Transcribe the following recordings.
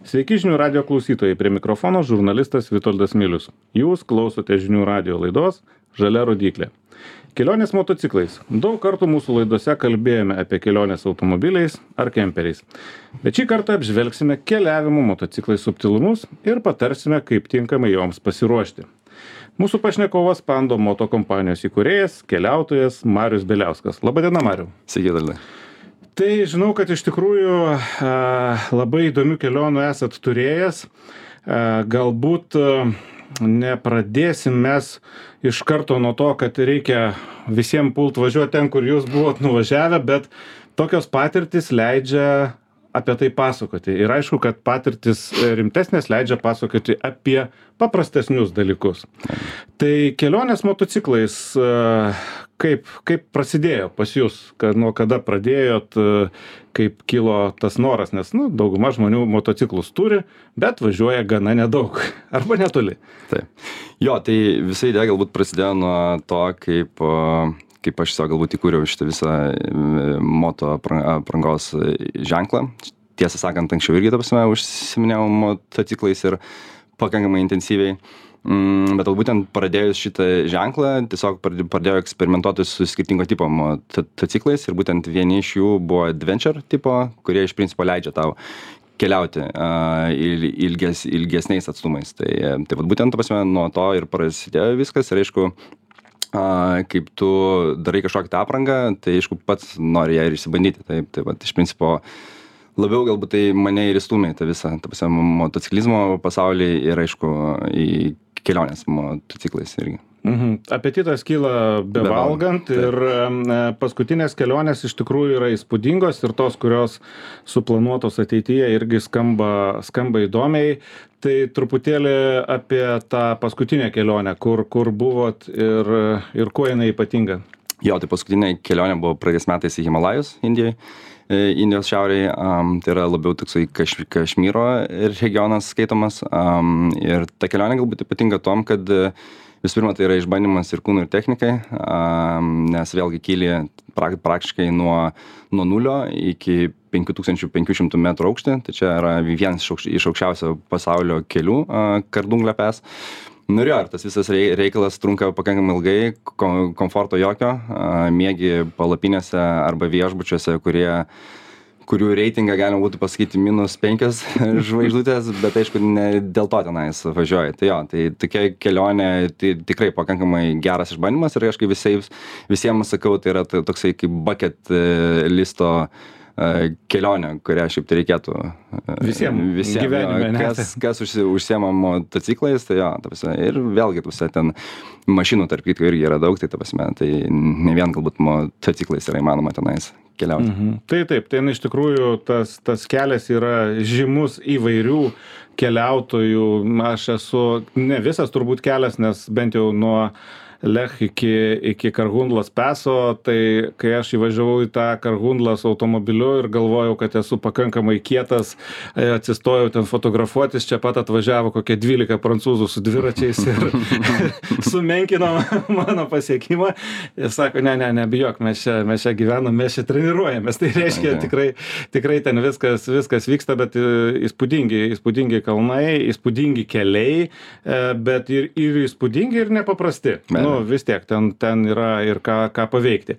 Sveiki žinių radio klausytojai, prie mikrofono žurnalistas Vitoldas Milius. Jūs klausote žinių radio laidos Žalia rodyklė. Kelionės motociklais. Daug kartų mūsų laidose kalbėjome apie kelionės automobiliais ar kemperiais. Bet šį kartą apžvelgsime keliavimo motociklais subtilumus ir patarsime, kaip tinkamai joms pasiruošti. Mūsų pašnekovas Pando moto kompanijos įkūrėjas, keliautojas Marius Beliauskas. Labadiena, Mariau. Sveiki, Daldai. Tai žinau, kad iš tikrųjų labai įdomių kelionių esat turėjęs. Galbūt nepradėsim mes iš karto nuo to, kad reikia visiems pult važiuoti ten, kur jūs buvot nuvažiavę, bet tokios patirtis leidžia apie tai pasakoti. Ir aišku, kad patirtis rimtesnės leidžia pasakoti apie paprastesnius dalykus. Tai kelionės motociklais, kaip prasidėjo pas jūs, nuo kada pradėjot, kaip kilo tas noras, nes dauguma žmonių motociklus turi, bet važiuoja gana nedaug, arba netoli. Taip. Jo, tai visa idėja galbūt prasidėjo nuo to, kaip aš galbūt įkūriau šitą visą moto aprangos ženklą. Tiesą sakant, anksčiau irgi užsiminėjau motociklais ir pakankamai intensyviai. Bet būtent pradėjus šitą ženklą, tiesiog pradėjau eksperimentuoti su skirtingo tipo motociklais ir būtent vieni iš jų buvo adventure tipo, kurie iš principo leidžia tau keliauti ilgesniais atstumais. Tai būtent nuo to ir prasidėjo viskas ir aišku, kaip tu darai kažkokią tą aprangą, tai aišku pats nori ją ir išsibandyti. Tai iš principo labiau galbūt tai mane ir įstūmė tą visą motociklizmo pasaulį ir aišku į kelionės motociklais irgi. Apetitas kyla bevalgant ir paskutinės kelionės iš tikrųjų yra įspūdingos ir tos, kurios suplanuotos ateityje irgi skamba įdomiai. Tai truputėlį apie tą paskutinę kelionę, kur buvot ir kuo jinai ypatinga. Jo, tai paskutinė kelionė buvo praeitais metais į Himalajus, Indijos šiaurėje, tai yra labiau toksai Kašmyro regionas skaitomas. Ir ta kelionė galbūt ypatinga tom, kad visų pirma tai yra išbandymas ir kūnų ir technikai, nes vėlgi kyli praktiškai nuo nulio iki 5500 metrų aukštį, tai čia yra vienas iš aukščiausio pasaulio kelių Kardunglio Pass. Nu ir tas visas reikalas trunka pakankamai ilgai, komforto jokio, miegi palapinėse arba viešbučiuose, kurių reitingą galima būtų pasakyti -5 žvaigždutės, bet aišku, ne dėl to tenais važiuoji. Tai jo, tai tokia kelionė tai tikrai pakankamai geras išbandymas ir aišku visiems sakau, tai yra toksai kaip bucket listo kelionė, kurią šiaip tai reikėtų visiems gyvenime, kas užsiema motociklais, tai jo, ir vėlgi ten mašinų tarp kitko irgi yra daug, tai ne vien galbūt motociklais yra įmanoma tenais keliauti. Taip, iš tikrųjų tas kelias yra žymus įvairių keliautojų. Aš esu ne visas turbūt kelias, nes bent jau nuo Lech iki Karhundlos Paso, tai kai aš įvažiavau į tą Karhundlas automobiliu ir galvojau, kad esu pakankamai kietas, atsistojau ten fotografuotis, čia pat atvažiavo kokie 12 prancūzų su dviračiais ir sumenkino mano pasiekimą. Jis sako, nebijok, mes čia gyvenam, mes čia treniruojamės. Tai reiškia, tikrai ten viskas vyksta, bet įspūdingi kalnai, įspūdingi keliai, bet ir įspūdingi ir nepaprasti. Vis tiek ten yra ir ką paveikti.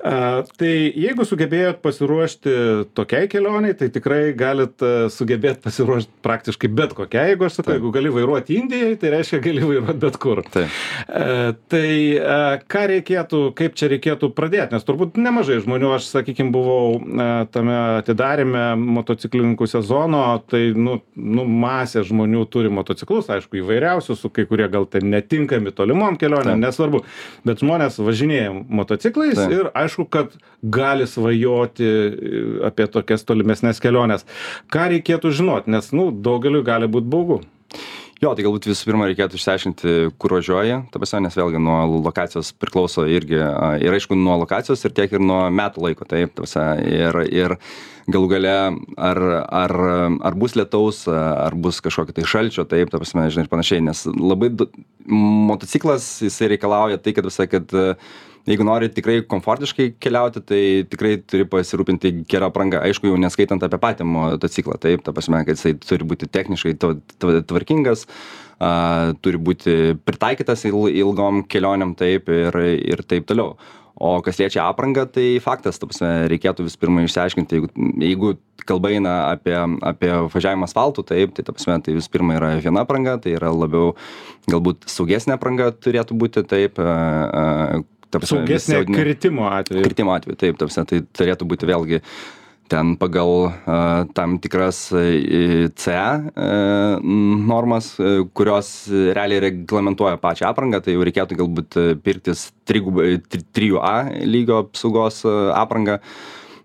Tai jeigu sugebėjot pasiruošti tokiai kelioniai, tai tikrai galit sugebėti pasiruošti praktiškai bet kokiai. Jeigu aš sakau, jeigu gali vairuoti Indijai, tai reiškia gali vairuoti bet kur. Tai kaip čia reikėtų pradėti, nes turbūt nemažai žmonių, aš sakykime, buvau tame atidarime motociklininkų sezono, tai masė žmonių turi motociklus, aišku, įvairiausių, su kai kurie gal ten netinkami tolimom kelionėm, nesvarbu, bet žmonės važinėja motociklais ir aišku, kad gali svajoti apie tokias tolimesnės keliones. Ką reikėtų žinoti, nes daugeliui gali būti baugu. Jo, tai galbūt visų pirma reikėtų išsiaiškinti, kur važiuoji, nes vėlgi nuo lokacijos priklauso irgi, ir aišku, nuo lokacijos ir tiek ir nuo metų laiko, ir galų gale, ar bus lietaus, ar bus kažkokio tai šalčio, žinai, ir panašiai, nes labai motociklas, jisai reikalauja tai, kad visai, kad jeigu nori tikrai komfortiškai keliauti, tai tikrai turi pasirūpinti gerą aprangą. Aišku, jau neskaitant apie patį motociklą, taip, ta prasme, kad jisai turi būti techniškai tvarkingas, turi būti pritaikytas ilgom kelionėm, taip, ir taip toliau. O kas liečia aprangą, tai faktas, ta prasme, reikėtų vis pirma išsiaiškinti, jeigu kalba eina apie važiavimą asfaltu, taip, tai ta prasme, tai vis pirma yra viena apranga, tai yra labiau galbūt saugesnė apranga turėtų būti, taip, saugesnė kritimo atveju. Kritimo atveju, taip, ta prasme, tai turėtų būti vėlgi ten pagal tam tikras CE normas, kurios realiai reglamentuoja pačią aprangą, tai jau reikėtų galbūt pirktis 3A lygio apsaugos aprangą.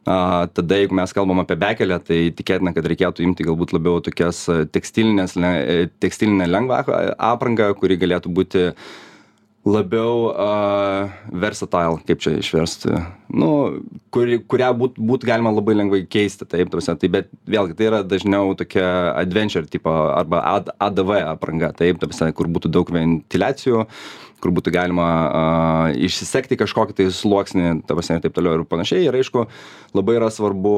Tada, jeigu mes kalbam apie bekelę, tai tikėtina, kad reikėtų imti galbūt labiau tokias tekstilinę lengvą aprangą, kuri galėtų būti labiau versatile, kaip čia išversti, nu, kurią būtų galima labai lengvai keisti, taip, tai bet vėlgi tai yra dažniau tokia adventure tipo arba ADV apranga, taip, kur būtų daug ventiliacijų, kur būtų galima išsisekti kažkokį tai sluoksnį, ir taip toliau ir panašiai. Ir aišku, labai yra svarbu,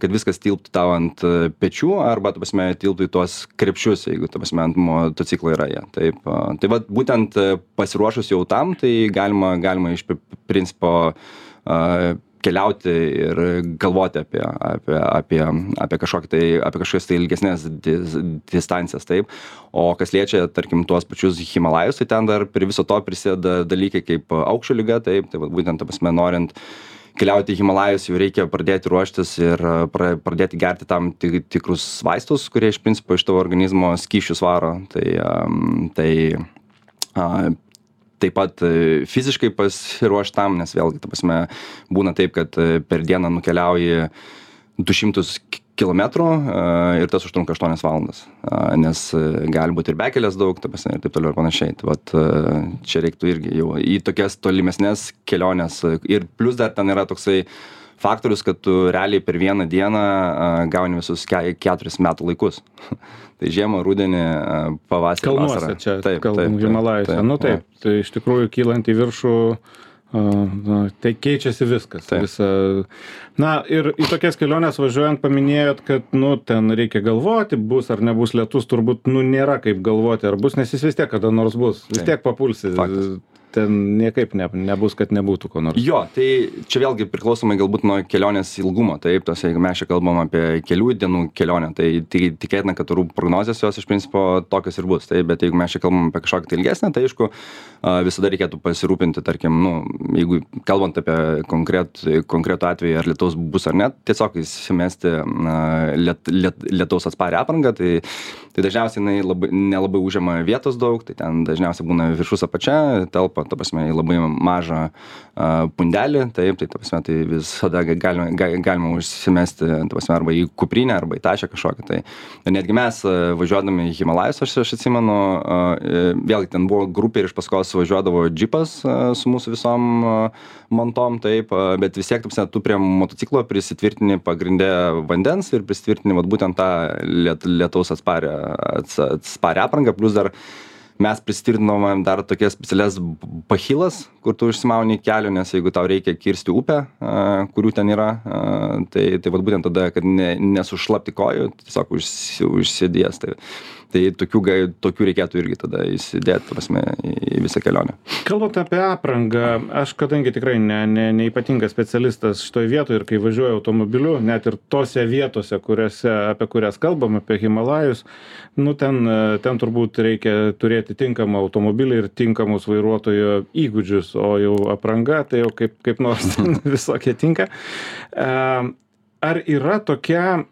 kad viskas tilptų tau ant pečių arba, tilptų į tuos krepšius, jeigu, ant motociklo yra jie. Taip, tai va, būtent pasiruošus jau tam, tai galima iš principo keliauti ir galvoti apie kažkokias tai ilgesnės distancijas, taip. O kas liečia, tarkim, tuos pačius Himalajus, tai ten dar prie viso to prisideda dalykai kaip aukščio liga, taip, tai būtent, ta prasme, norint keliauti į Himalajus, jau reikia pradėti ruoštis ir pradėti gerti tam tikrus vaistus, kurie iš principo iš tavo organizmo skysčius varo. Taip pat fiziškai pasiruošti tam, nes vėlgi, ta prasme, būna taip, kad per dieną nukeliauji 200 kilometrų ir tas užtrunka 8 valandas, nes gali būti ir bekelės daug, ta prasme, ir taip toliau ir panašiai. Tai vat, čia reiktų irgi jau į tokias tolimesnės keliones ir plus dar ten yra toksai faktorius, kad tu realiai per vieną dieną gauni visus 4 metų laikus. Tai žiemą, rudenį, pavasarį, Kalnuose vasarą. Čia taip, kalbam Himalajuose. Nu taip, tai iš tikrųjų kylant į viršų, tai keičiasi viskas. Na ir į tokias keliones važiuojant paminėjot, kad nu ten reikia galvoti, bus ar nebus lietus, turbūt nu nėra kaip galvoti, ar bus, nes jis vis tiek kada nors bus, vis tiek papulsi. Faktas. Ten niekaip nebus, kad nebūtų ko nors. Jo, tai čia vėlgi priklausomai galbūt nuo kelionės ilgumo, taip, jeigu mes čia kalbam apie kelių dienų kelionę, tai tikėtina, kad orų prognozės jos iš principo tokios ir bus, taip, bet jeigu mes čia kalbam apie kažkokią tai ilgesnę, tai aišku, visada reikėtų pasirūpinti, tarkim, nu, jeigu kalbant apie konkretų atvejį, ar lietaus bus ar ne, tiesiog įsimesti lietaus atsparę aprangą, tai dažniausiai nelabai užima vietos daug, tai ten dažniausiai būna viršus apačia, telpa, ta prasme, į labai mažą pundelį, taip, tai ta prasme, tai visada galima užsimesti, ta prasme, arba į kuprinę, arba į tašę kažkokią. Tai netgi mes važiuodami į Himalajus, aš atsimenu, vėlgi ten buvo grupė ir iš paskos važiuodavo džipas su mūsų visom montom, taip, bet vis tiek, ta prasme, tu prie motociklo prisitvirtini pagrindė vandens ir prisitvirtini vat būtent tą lietaus atsparę aprangą, plus dar mes prisitvirtinom dar tokias specialias bachilas, kur tu užsimauni kelio, nes jeigu tau reikia kirsti upę, kurių ten yra, tai vat būtent tada, kad nesušlapti kojų, tiesiog užsidės. Tai tokių reikėtų irgi tada įsidėti, ta prasme, į visą kelionę. Kalbant apie aprangą, aš kadangi tikrai neypatingas specialistas šitoj vietoje ir kai važiuoju automobiliu, net ir tose vietose, apie kurias kalbam, apie Himalajus, nu ten turbūt reikia turėti tinkamą automobilį ir tinkamus vairuotojo įgūdžius, o jau apranga, tai jau kaip nors visokie tinka. Ar yra tokia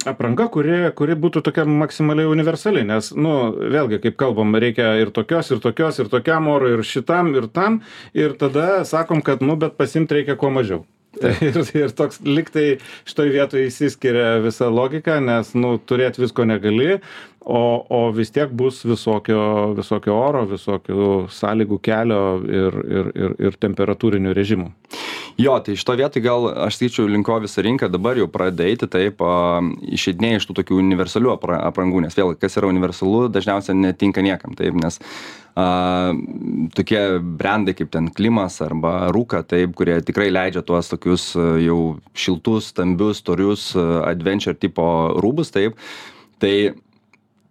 apranga, kuri būtų tokia maksimaliai universali, nes, nu, vėlgi, kaip kalbam, reikia ir tokios, ir tokiam orui, ir šitam, ir tam, ir tada sakom, kad, nu, bet pasimt reikia kuo mažiau. Ir toks liktai šitoj vietoje įsiskiria visa logika, nes, nu, turėti visko negali, o vis tiek bus visokio oro, visokių sąlygų kelio ir temperatūrinių režimų. Jo, tai šito vietoj gal aš sakyčiau linko visą rinką dabar jau pradeda eiti, taip, išeidinėja iš tų tokių universalių aprangų, nes vėl, kas yra universalu, dažniausiai netinka niekam, taip, nes tokie brandai kaip ten Klimas arba Rūka, taip, kurie tikrai leidžia tuos tokius jau šiltus, stambius, storius adventure tipo rūbus, taip, tai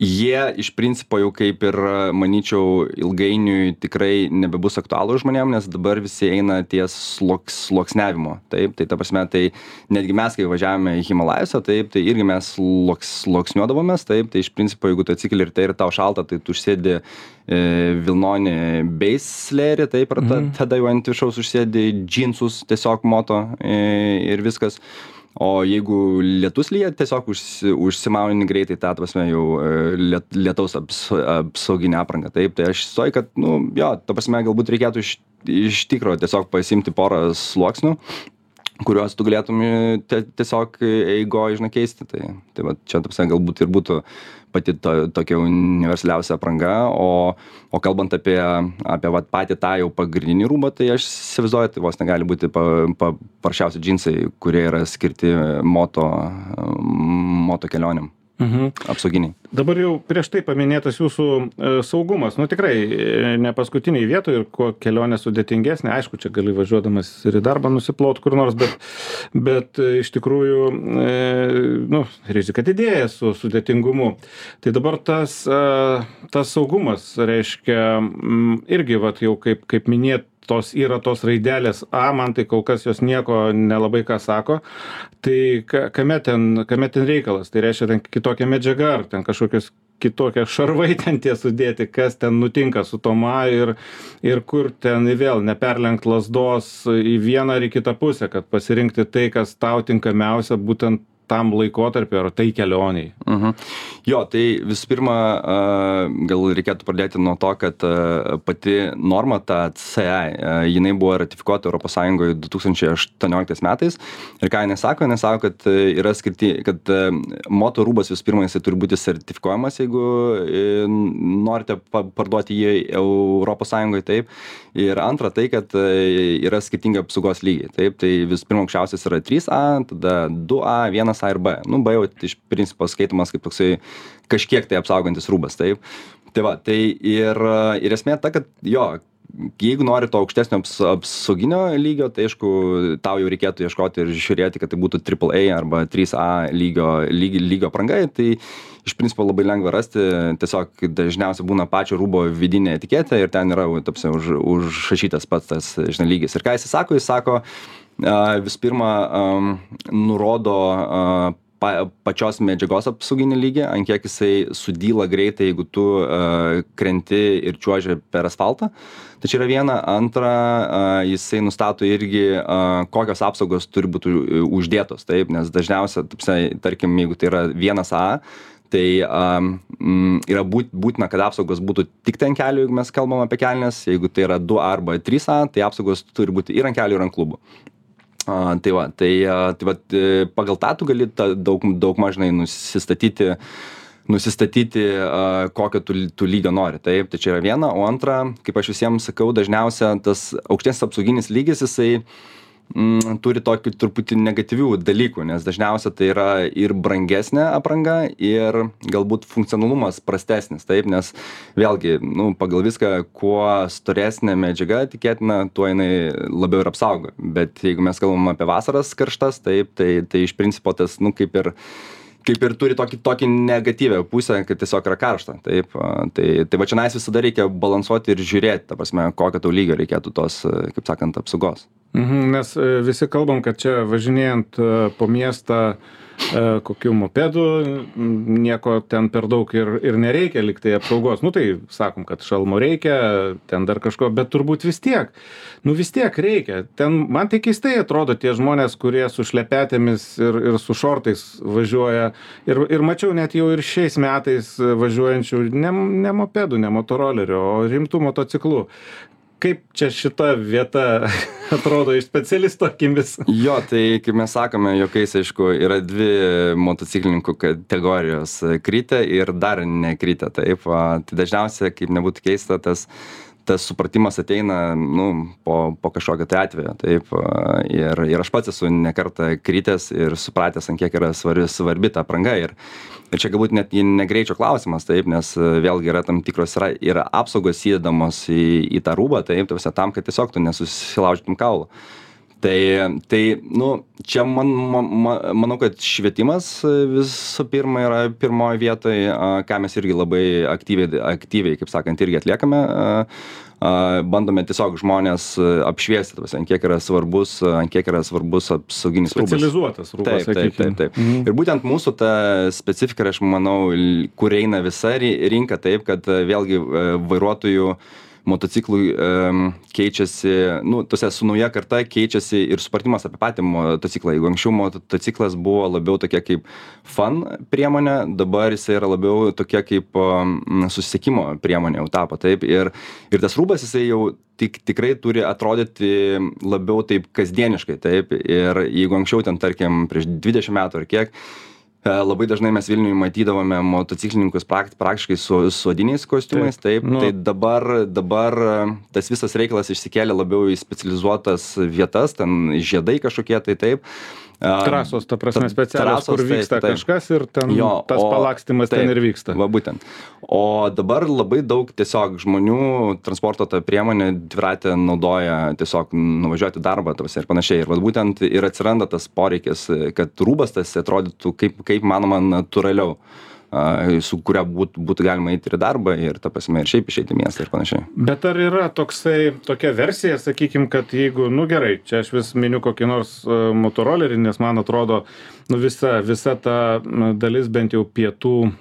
jie iš principo jau kaip ir, manyčiau, ilgainiui tikrai nebebus aktualų žmonėm, nes dabar visi eina ties sluoksniavimo. Taip, tai ta prasme, tai netgi mes, kai važiavome į Himalajose, taip, tai irgi mes sluoksniuodavomės, taip, tai iš principo, jeigu tu atsikeli ir tai ir tau šalta, tai tu užsėdi vilnonį base layerį, taip, ir tada jau ant viršaus užsėdi džinsus tiesiog moto ir viskas. O jeigu lietus lyja, tiesiog užsimauni greitai tą, prasme, jau lietaus apsauginę aprangą. Taip, tai aš įsivaizduoju, kad, nu, jo, ta prasme, galbūt reikėtų iš tikro tiesiog pasimti porą sluoksnių, kuriuos tu galėtum tiesiog eigoje, žinai, keisti. Tai va, čia, ta prasme, galbūt ir būtų pati tokia universaliausia apranga, o kalbant apie vat patį tą jau pagrindinį rūbą, tai aš įsivaizduoju, tai vos negali būti paprasčiausi džinsai, kurie yra skirti moto kelionėm. Apsauginiai. Dabar jau prieš tai paminėtas jūsų saugumas. Nu tikrai ne paskutiniai vietoj ir kuo kelionė sudėtingesnė. Aišku, čia gali važiuodamas ir į darbą nusiplaut kur nors, bet iš tikrųjų rizika didėja su sudėtingumu. Tai dabar tas saugumas reiškia irgi vat jau kaip minėt, yra tos raidelės A, man tai kol kas jos nieko nelabai ką sako, tai kame ten reikalas, tai reiškia ten kitokia medžiaga, ar ten kažkokios kitokie šarvai ten tie sudėti, kas ten nutinka su tom A ir kur ten vėl neperlenkt lazdos į vieną ar į kitą pusę, kad pasirinkti tai, kas tau tinkamiausia būtent tam laikotarpiu ar tai kelioniai. Jo, tai visų pirma, gal reikėtų pradėti nuo to, kad pati norma, ta CE, jinai buvo ratifikuota Europos Sąjungoje 2018 metais. Ir ką jinai sako, kad yra kad moto rūbas visų pirma, jisai turi būti sertifikuojamas, jeigu norite parduoti jį Europos Sąjungoje, taip. Ir antra, tai, kad yra skirtingi apsaugos lygiai. Taip, tai visų pirma, aukščiausias yra 3A, tada 2A, 1A ir B. Nu, B jau iš principo skaitomas kaip toksai kažkiek tai apsaugantis rūbas, taip. Tai va, tai ir esmė ta, kad jo, jeigu nori to aukštesnio apsauginio lygio, tai aišku, tau jau reikėtų ieškoti ir žiūrėti, kad tai būtų AAA arba 3A lygio aprangai, tai iš principo labai lengva rasti, tiesiog dažniausiai būna pačio rūbo vidinė etiketė ir ten yra užrašytas pats tas, žinai, lygis. Ir ką jis sako, visų pirma, nurodo pačios medžiagos apsauginį lygį, ant kiek jisai sudyla greitai, jeigu tu krenti ir čiuoži per asfaltą. Tai čia yra viena. Antra, jisai nustato irgi, kokios apsaugos turi būti uždėtos, taip, nes dažniausiai, tarkim, jeigu tai yra 1A, tai yra būtina, kad apsaugos būtų tik ant kelių, jeigu mes kalbam apie kelnes, jeigu tai yra 2A arba 3A, tai apsaugos turi būti ir ant kelių, ir ant klubų. Tai pagal tą tu gali daug mažnai nusistatyti, kokio tu lygio nori. Taip, tai čia yra viena, o antra, kaip aš visiems sakau, dažniausia tas aukštesnis apsauginis lygis, jisai turi tokį truputį negatyvių dalykų, nes dažniausiai tai yra ir brangesnė apranga, ir galbūt funkcionalumas prastesnis, taip, nes vėlgi, pagal viską, kuo storesnė medžiaga, tikėtina, tuo jinai labiau ir apsaugo. Bet jeigu mes kalbam apie vasaras karštas, taip, tai iš principo tas, kaip ir turi tokį negatyvę pusę, kad tiesiog yra karšta. Taip, tai va čia visada reikia balansuoti ir žiūrėti, ta prasme, kokio tau lygio reikėtų tos, kaip sakant, apsaugos. Nes visi kalbam, kad čia važinėjant po miestą kokių mopedų, nieko ten per daug ir nereikia liktai apsaugos. Tai sakom, kad šalmo reikia, ten dar kažko, bet turbūt vis tiek reikia. Ten man tai keistai atrodo tie žmonės, kurie su šlepetėmis ir su šortais važiuoja. Ir mačiau net jau ir šiais metais važiuojančių ne mopedų, ne motorolerių, o rimtų motociklų. Kaip čia šita vieta atrodo iš specialisto akimis? Jo, tai kaip mes sakome, juokais, aišku, yra dvi motociklininkų kategorijos - kritę ir dar nekritę. Taip, tai dažniausiai, kaip nebūtų keista, tas tas supratimas ateina, po kažkokio tai atvejo, taip, ir aš pats esu ne kartą kritęs ir supratęs, ant kiek yra svarbi ta apranga, ir čia galbūt net ne greičio klausimas, taip, nes vėlgi yra tam tikros, yra apsaugos įdedamos į tą rūbą, taip, tam, kad tiesiog tu nesusilaužytum kaulų. Tai čia manau, kad švietimas visų pirma yra pirmoje vietoje, ką mes irgi labai aktyviai, kaip sakant, irgi atliekame. Bandome tiesiog žmonės apšviesti, ant kiek yra svarbus apsauginis rūbas. Specializuotas rūbas, sakykime. Taip. Ir būtent mūsų ta specifika, aš manau, kur eina visa rinka, taip, kad vėlgi vairuotojų motociklų keičiasi, su nauja karta keičiasi ir supratimas apie patį motociklą. Jeigu anksčiau motociklas buvo labiau tokia kaip fun priemonė, dabar jisai yra labiau tokia kaip susisiekimo priemonė jau tapo, taip. Ir tas rūbas jisai jau tikrai turi atrodyti labiau taip kasdieniškai, taip. Ir jeigu anksčiau ten, tarkim, prieš 20 metų ar kiek, labai dažnai mes Vilniuje matydavome motociklininkus praktiškai su odiniais kostiumais, taip, tai dabar tas visas reikalas išsikėlė labiau į specializuotas vietas, ten žiedai kažkokie, tai taip. Trasos, ta prasme, specialios, kur vyksta kažkas ir ten tas palakstymas ten ir vyksta. Va, būtent. O dabar labai daug tiesiog žmonių transporto tą priemonę dviratę naudoja tiesiog nuvažiuoti darbą ir panašiai. Ir va, būtent ir atsiranda tas poreikis, kad rūbas tas atrodytų kaip manoma natūraliau, su kuria būtų galima eiti ir darbą ir ta prasme ir šiaip išeiti į miestą ir panašiai. Bet ar yra tokia versija, sakykim, kad jeigu, gerai, čia aš vis miniu kokį nors motorolerį, nes man atrodo, visa ta dalis bent jau pietų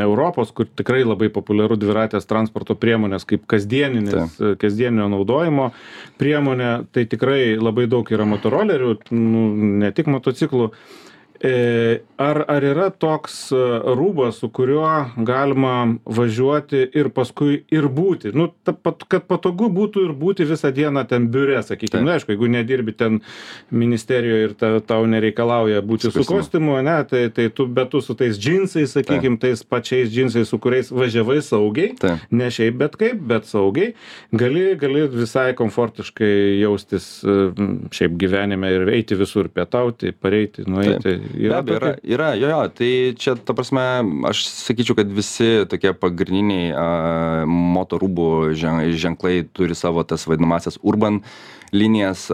Europos, kur tikrai labai populiaru dviratės transporto priemonės kaip kasdieninio naudojimo priemonė, tai tikrai labai daug yra motorolerių, ne tik motociklų. Ar yra toks rūbas, su kuriuo galima važiuoti ir paskui ir būti? Kad patogu būtų ir būti visą dieną ten biure, sakykime. Aišku, jeigu nedirbi ten ministerijoje ir tau nereikalauja būti su kostiumu, bet tu su tais džinsais, sakykime, tais pačiais džinsais, su kuriais važiavai saugiai, ne šiaip bet kaip, bet saugiai, gali visai komfortiškai jaustis šiaip gyvenime ir eiti visur, pietauti, pareiti, nueiti. Be abejo, yra, tai čia, ta prasme, aš sakyčiau, kad visi tokie pagrindiniai motorūbų ženklai turi savo tas vadinamasias urban linijas,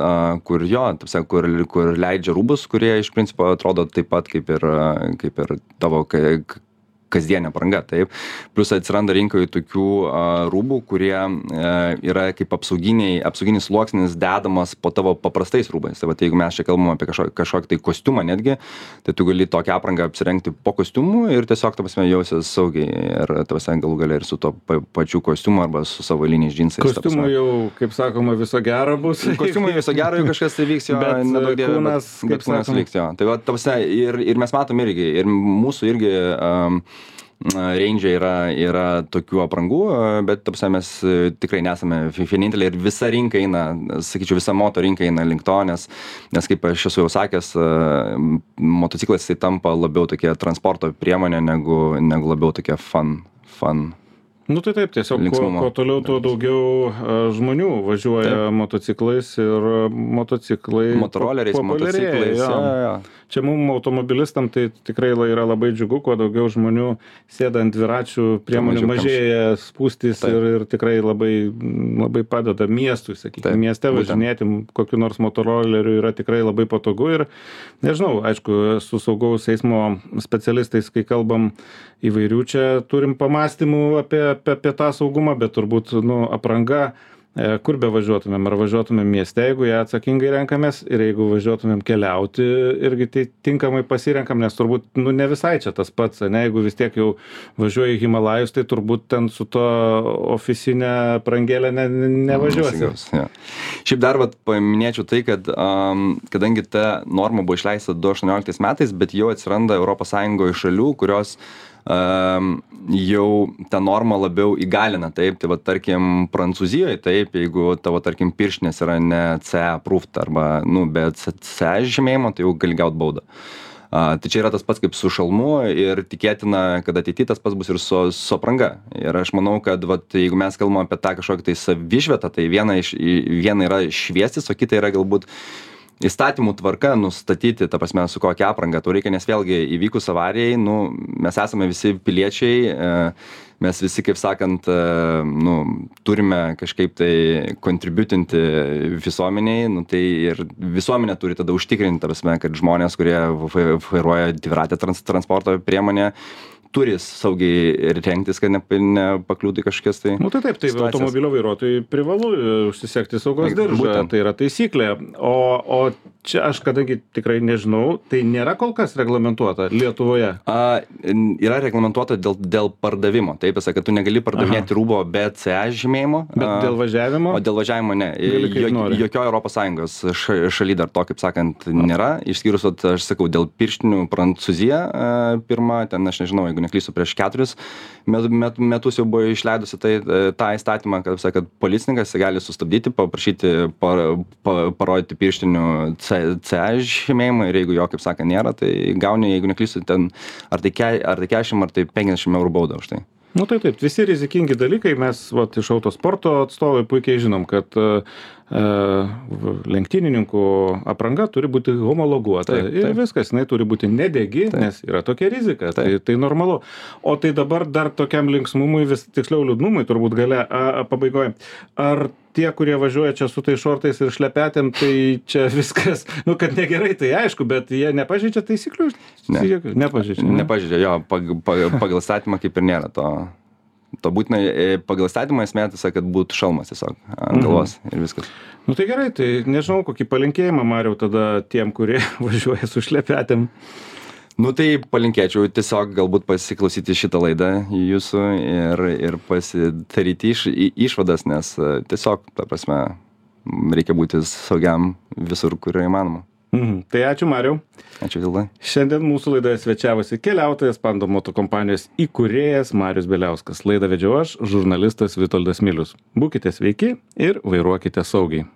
kur leidžia rūbus, kurie iš principo atrodo taip pat kaip ir tavo kasdienė apranga, taip. Plius atsiranda rinkoje tokių rūbų, kurie yra kaip apsauginis sluoksnis dedamas po tavo paprastais rūbais. Tai jeigu mes čia kalbam apie kažkokį tai kostiumą netgi, tai tu gali tokią aprangą apsirengti po kostiumu ir tiesiog, ta prasme, jausies saugiai ir galų gale ir su to pačiu kostiumu arba su savo liniais džinsais. Kostiumų jau, kaip sakoma, viso gero bus. Kostiumų viso gero, jeigu kažkas tai vyks, jo, nedaug dievė, bet kūnas liks, jo. Tai va, ta prasme, ir mes matom irgi, ir mūsų irgi range yra tokių aprangų, bet ta prasme mes tikrai nesame vieninteliai ir visa rinka eina, sakyčiau, visa moto rinka eina link to, nes kaip aš esu jau sakęs, motociklas tai tampa labiau tokia transporto priemonė negu labiau tokia fun. Tai taip, tiesiog kuo toliau, tuo daugiau žmonių važiuoja motociklais ir motoroleriais, motociklais. Čia mums automobilistam tai tikrai yra labai džiugu, kuo daugiau žmonių sėda ant dviračių priemonių, mažėja spūstys ir tikrai labai padeda miestui, sakykime, mieste važinėti kokiu nors motoroleriu yra tikrai labai patogu ir nežinau, aišku, su saugaus eismo specialistais, kai kalbam įvairių, čia turim pamastymų apie tą saugumą, bet turbūt apranga, kur be važiuotumėm, ar važiuotumėm mieste, jeigu ją atsakingai renkamės, ir jeigu važiuotumėm keliauti, irgi tai tinkamai pasirenkam, nes turbūt ne visai čia tas pats, jeigu vis tiek jau važiuoji į Himalajus, tai turbūt ten su to ofisinė aprangėlė nevažiuosi. Šiaip dar paminėčiau tai, kad kadangi ta norma buvo išleista 2018 metais, bet jau atsiranda ES šalių, kurios jau tą normą labiau įgalina, taip, tai tarkim Prancūzijoje, taip, jeigu tavo, tarkim, pirštinės yra ne CE approved arba, be CE žymėjimo, tai jau gali gauti baudą. Tai čia yra tas pats kaip su šalmu ir tikėtina, kad ateityje tas pats bus ir su apranga. Ir aš manau, kad jeigu mes kalbame apie tą kažkokį tai savišvietą, tai viena yra šviestis, o kita yra galbūt įstatymų tvarka nustatyti, ta prasme, su kokia apranga tau reikia, nes vėlgi įvykus avarijai, mes esame visi piliečiai, mes visi, kaip sakant, turime kažkaip tai kontributinti visuomeniai, tai ir visuomenė turi tada užtikrinti, ta prasme, kad žmonės, kurie vairuoja dviratę transporto priemonę, turi saugiai rengtis, kad nepakliūtų kažkokias tai... Taip, automobilio vairuotojai privalu užsisekti saugos diržą, tai yra taisyklė. O čia aš, kadangi tikrai nežinau, tai nėra kol kas reglamentuota Lietuvoje? Yra reglamentuota dėl pardavimo. Taip, kad tu negali pardavinėti rūbo be CE žymėjimo. Bet dėl važiavimo? O dėl važiavimo ne. Jokio ES šaly dar to, kaip sakant, nėra. Išskyrus, aš sakau, dėl pirštinių Prancūzija pirma, ten aš nežinau, jeigu neklysiu, prieš 4 metus jau buvo išleidusi tą įstatymą, kad policininkas gali sustabdyti, paprašyti parodyti pirštinių CE žymėjimą ir jeigu jo, kaip sakant, nėra, tai gauni, jeigu neklysiu, ten ar tai 40, ar tai 50 eurų baudą už tai. Taip, visi rizikingi dalykai, mes iš autosporto atstovai puikiai žinom, kad lenktynininkų apranga turi būti homologuota ir viskas, jinai turi būti nedegi, nes yra tokia rizika, tai normalu. O tai dabar dar tokiam linksmumui, tiksliau liūdnumui turbūt gale pabaigoje. Ar tie, kurie važiuoja čia su tai šortais ir šlepetėm, tai čia viskas, kad negerai, tai aišku, bet jie nepažeidžia taisyklių? Nepažeidžia. Nepažeidžia, jo, pagal statymą kaip ir nėra to būtinai, pagal statymą esmė, kad būtų šalmas tiesiog ant galvos ir viskas. Tai gerai, tai nežinau, kokį palinkėjimą, Mariau, tada tiem, kurie važiuoja su šlepetėm. Tai palinkėčiau tiesiog galbūt pasiklausyti šitą laidą jūsų ir pasidaryti išvadas, nes tiesiog, ta prasme, reikia būti saugiam visur, kur įmanoma. Tai ačiū, Mariau. Ačiū, Vildai. Šiandien mūsų laidoje svečiavosi keliautojas, Pando Moto kompanijos įkūrėjas Marius Bieliauskas. Laidą vedžiau aš, žurnalistas Vitoldas Milius. Būkite sveiki ir vairuokite saugiai.